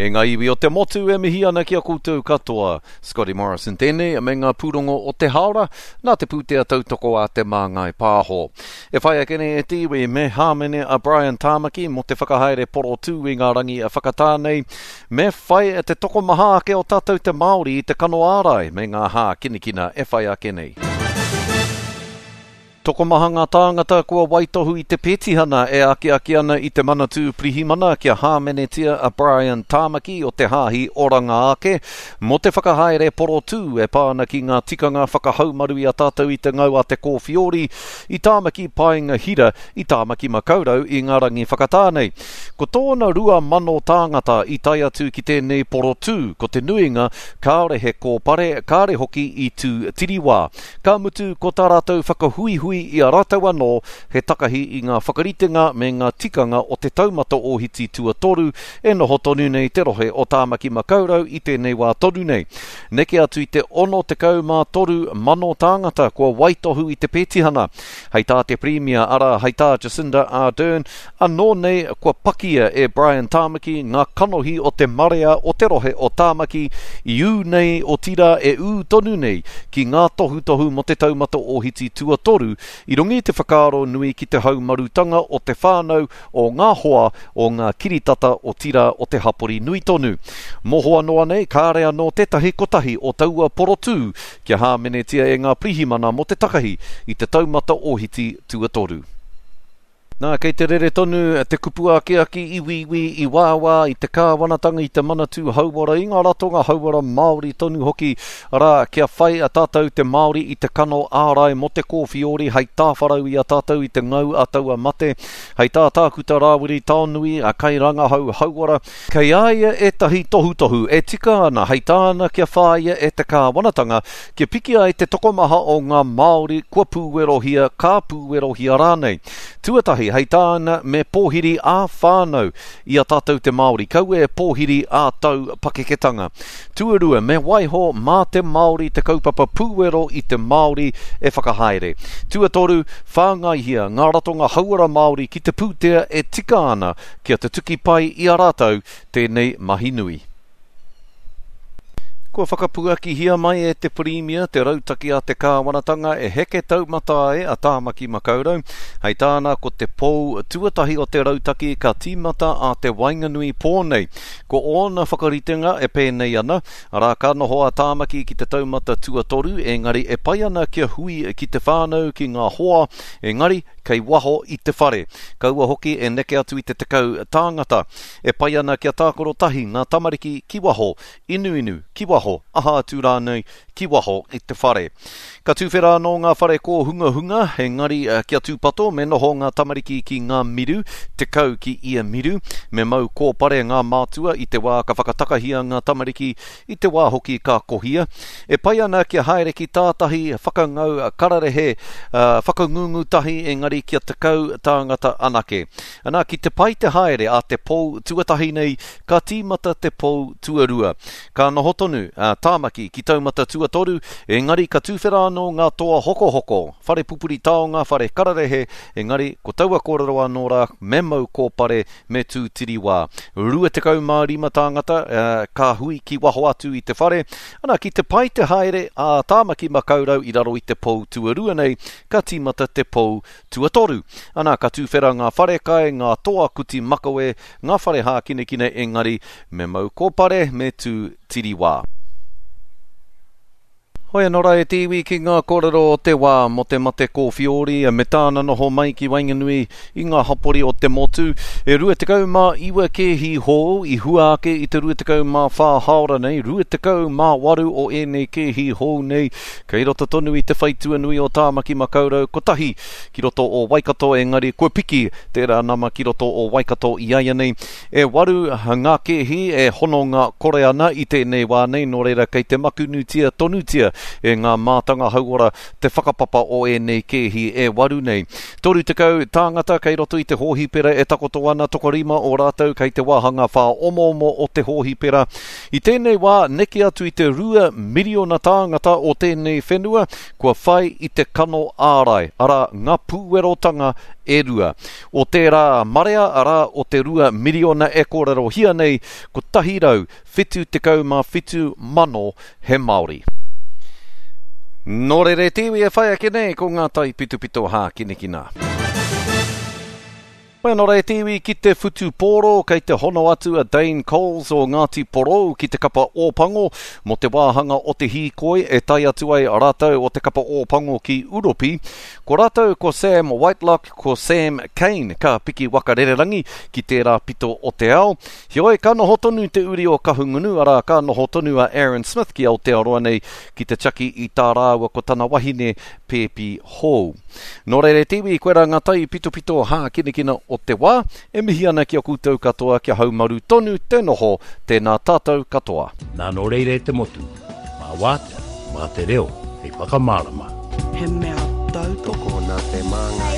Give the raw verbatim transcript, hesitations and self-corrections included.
E ngā iwi o te motu e mihi ana ki a koutou katoa. Scotty Morrison tēnei me ngā pūrongo o te haora nā te pūtea tautoko a Te Māngai Pāho. E whai ake nei e te iwi me hāmene a Brian Tamaki mō te whakahaere porotū i ngā rangi a whakatā nei, me whai te tokomaha ake o tātou te Māori i te kano ārai me ngā hākinakina e whai ake nei. Tokomaha ngā tāngata kua waitohu i te petihana e akiaki ana i te Manatū Pirihimana kia hāmenetia a Brian Tamaki o te Hāhi Oranga Ake mō te whakahaere porotū e pā ana ki ngā tikanga whakahaumaru i a tātou i te ngau a te kōwhiori i Tāmaki Paenga Hira i Tāmaki Makaurau i ngā rangi whakatā nei. Ko tōna rua mano tāngata i tae atu ki tēnei porotū, ko te nuinga kāore he kōpare, kāore hoki i tū tiriwā. Ka mutu ko tā rātou whakahuihui i a rātou anō he takahi i ngā whakaritenga me ngā tikanga o te taumata ōhiti tuatoru e noho tonu nei te rohe o Tāmaki Makaurau i tēnei wā tonu nei. Neke atu i te ono tekau mā toru mano tāngata kua waitohu i te petihana. Hei tā te Pirimia, arā, hei tā Jacinda Ardern, anō nei kua pakia e Brian Tamaki ngā kanohi o te marea o te rohe o Tāmaki i ū nei otirā e ū tonu nei ki ngā tohutohu mō te taumata ōhiti tuatoru i runga i te whakaaro nui ki te haumarutanga o te whānau, o ngā hoa, o ngā kiritata otirā o te hapori nui tonu. Mohoa noa nei, kāre anō tētahi kotahi o taua porotū kia hāmenetia e ngā pirihimana mō te takahi i te taumata ōhiti tuatoru. Nā, kei te rere tonu te kupu akiaki i wīwī, i wāwā, i te kāwanatanga, i te Manatū Hauora, i ngā ratonga hauora Māori tonu hoki, arā, kia whai a tātou te Māori i te kano ārai mō te kōwhiori hei tāwharau i a tātou i te ngau a taua mate. Hei tā Tākuta Rāwiri Taonui, a kairangahau hauora, kei a ia ētahi tohutohu e tika ana hei tāna kia whāia e te kāwanatanga kia piki ai te tokomaha o ngā Māori kua pūwerohia, ka pūwerohia rānei. Tuatahi, hei tāna me pōhiri ā-whānau i a tātou te Māori, kaua e pōhiri ā-tau pakeketanga. Tuarua, me waiho mā te Māori te kaupapa pūwero i te Māori e whakahaere. Tuatoru, whāngaihia ngā ratonga hauora Māori ki te pūtea e tika ana kia tutuki pai i a rātou tēnei mahi nui. Kua whakapuakihia mai e te Pirimia te rautaki a te kāwanatanga e heke taumata ai a Tāmaki Makaurau. Hei tāna ko te pou tuatahi o te rautaki ka tīmata a te waenganui pō nei. Ko ōna whakaritenga e pēnei ana, arā ka noho a Tāmaki ki te taumata tuatoru, engari e pai ana kia hui ki te whānau ki ngā hoa, engari kei waho i te whare. Kaua hoki e neke atu i te tekau tāngata. E pai ana kia tākaro tahi ngā tamariki ki waho, inuinu ki waho, aha atu rānei ki waho i te whare. Ka tūwhera anō ngā whare kōhungahunga, engari kia tūpato me noho ngā tamariki ki ngā miru, tekau ki ia miru, me mau kōpare ngā mātua i te wā ka whakatakahia ngā tamariki, i te wā hoki ka kohia. E pai ana kia haere ki tātahi whakangau kararehe, uh, whakangungu tahi, engari kia tekau tāngata anake. Ana, ki te pai te haere a te pou tuatahi nei, ka tīmata te pou tuarua. Ka noho tonu a Tāmaki ki taumata tuatoru, engari ka tūwhera anō ngā toa hokohoko, whare pupuri taonga, whare kararehe, engari ko taua kōrero anō rā, me mau kōpare, me tū tiriwā. Rua tekau mā rima tāngata, uh, ka hui ki waho atu i te whare. Ana, ki te pai te haere a Tāmaki Makaurau i raro i te pou tuarua nei, ka tīmata te pou tuatoru. Ana, ka tūwhera ngā wharekai, ngā toa kuti makawe, ngā whare hākinakina, engari me mau kōpare, me tū tiriwā. Hoi anō rā e te iwi ki ngā kōrero o te wā mō te mate kōwhiori me tāna noho mai ki waenganui i ngā hapori o te motu. E rua tekau mā iwa kēhi hou i hua ake i te rua tekau mā whā haora nei, rua tekau mā waru o ēnei kēhi hou nei, kei roto tonu i te whaitua nui o Tāmaki Makaurau kotahi ki roto o Waikato, engari kua piki tērā nama ki roto o Waikato i aia nei. E waru ngā kēhi e hononga kore ana i tēnei wā nei, nō reira kei te makunutia tonutia e ngā mātanga hauora te whakapapa o ēnei kēhi e waru nei. Toru tekau tāngata kei roto i te hōhipera e takoto ana, tokorima o rātou kei te wāhanga whāomoomo o te hōhipera. I tēnei wā, neke atu i te rua miriona tāngata o tēnei whenua kua whai i te kano ārai, arā ngā pūwerotanga e rua. O tērā marea, arā o te rua miriona e kōrerohia nei, kotahi rau whitu tekau mā whitu mano he Māori. Nō reira te iwi e whai ake nei ko ngā taipitopito hākinakina. Mai anō rā te iwi ki te whutupōro, kei te hono atu a Dane Coles o Ngāti Porou ki te kapa Ōpango mō te wāhanga o te hīkoi e tae atu ai rātou o te kapa Ōpango ki Uropi. Ko rātou ko Sam Whitelock, ko Sam Cane ka piki waka rererangi ki tērā pito o te ao. Heoi, ka noho tonu te uri o Kahungunu, arā ka noho tonu a Aaron Smith ki Aotearoa nei ki te tiaki i tā rāua ko tana wahine pēpi hou. Nō reira te iwi, koirā ngā taipitopito hākinakina o te wā, e mihi ana ki a koutou katoa kia haumaru tonu te noho, tēnā tātou katoa. Nā nō reira e te motu, mā wātea, mā te reo, hei whakamārama. He mea tautoko Tokona te māngai.